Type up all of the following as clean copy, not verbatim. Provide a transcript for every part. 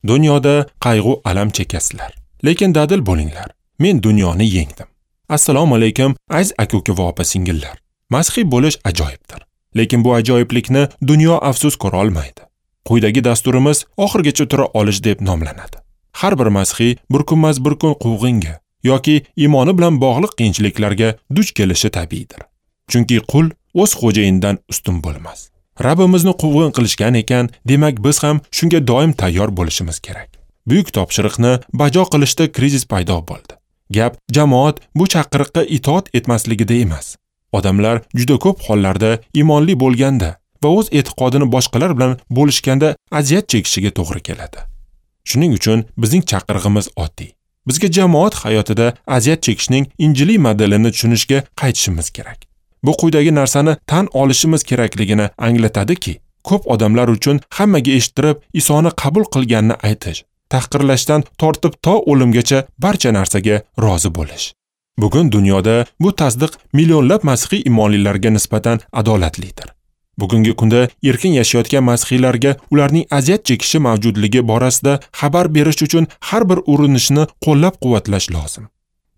Dunyoda qayg'u alam chekasizlar, lekin dadil bo'linglar. Men dunyoni yengdim. Assalomu alaykum, aziz aka-uka va opa-singillar. Masihiy bo'lish ajoyibdir. Lekin bu ajoyiblikni dunyo afsus ko'ra olmaydi. Quyidagi dasturimiz oxirgacha tura olish deb nomlanadi. Har bir masihiy bir kunmas bir kun quvg'inga yoki iymoni bilan bog'liq qiyinchiliklarga duch kelishi tabiiydir. Chunki qul o'z xo'jayinidan ustun bo'lmas. Rabbimizni quvg'in qilishgan ekan, demak biz ham shunga doim tayyor bo'lishimiz kerak. Buyuk topshiriqni bajo qilishda krizis paydo bo'ldi. Gap jamoat bu chaqiriqqa itoat etmasligida emas. Odamlar juda ko'p hollarda iymonli bo'lganda va o'z e'tiqodini boshqalar bilan bo'lishganda aziyat chekishiga to'g'ri keladi. Shuning uchun bizning chaqirig'imiz oddiy. Bizga jamoat hayotida aziyat chekishning injiliy modelini tushunishga qaytishimiz kerak. Bu quyidagi narsani tan olishimiz kerakligini anglatadiki, ko'p odamlar uchun hammaga eshittirib Isoni qabul qilganini aytish, tahqirlashdan tortib to o'limgacha barcha narsaga rozi bo'lish. Bugun dunyoda bu tasdiq millionlab masihiy imonlilarga nisbatan adolatlidir. Bugungi kunda erkin yashayotgan masihiylarga ularning aziyat chekishi mavjudligi borasida xabar berish uchun har bir urinishni qo'llab-quvvatlash lozim.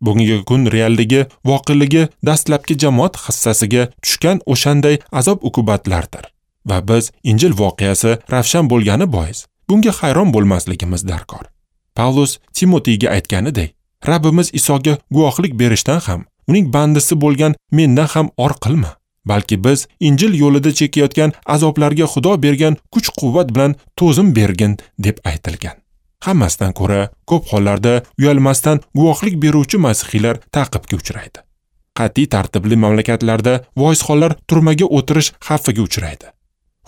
Bugungi kun realligi, voqeligi dastlabki jamoat hissasiga tushgan o'shanday azob-uqubatlardir. Va biz Injil voqeasi ravshan bo'lgani bois bunga hayron bo'lmasligimiz darkor. Pavlus Timoteyga aytganidek, Rabbimiz Isoga guvohlik berishdan ham, uning bandisi bo'lgan mendan ham or qilma, balki biz Injil yo'lida chekayotgan azoblarga Xudo bergan kuch-quvvat bilan to'zim bergin deb aytilgan. Hammasidan ko'ra ko'p hollarda uyalmasdan guvohlik beruvchi masihiylar ta'qibga uchraydi. Qat'iy tartibli mamlakatlarda voizxonlar turmaga o'tirish xavfiga uchraydi.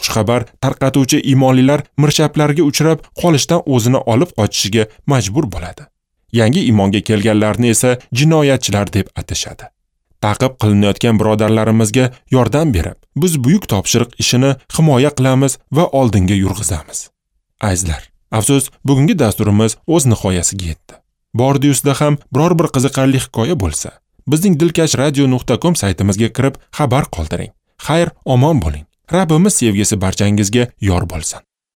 Xushxabar tarqatuvchi iymonlilar mirshablarga uchrab qolishdan o'zini olib qochishiga majbur bo'ladi. Yangi iymonga kelganlarni esa jinoyatchilar deb atashadi. Ta'qib qilinayotgan birodarlarimizga yordam berib, biz buyuk topshiriq ishini himoya qilamiz va oldinga yurg'izamiz. Azizlar, afsus, bugungi dasturimiz o'z nihoyasiga yetdi. Bordi-yusda ham biror bir qiziqarli hikoya bo'lsa, bizning dilkashradio.com saytimizga kirib xabar qoldiring. Xayr, omon bo'ling. Rabbimiz sevgisi barchangizga yor bo'lsin.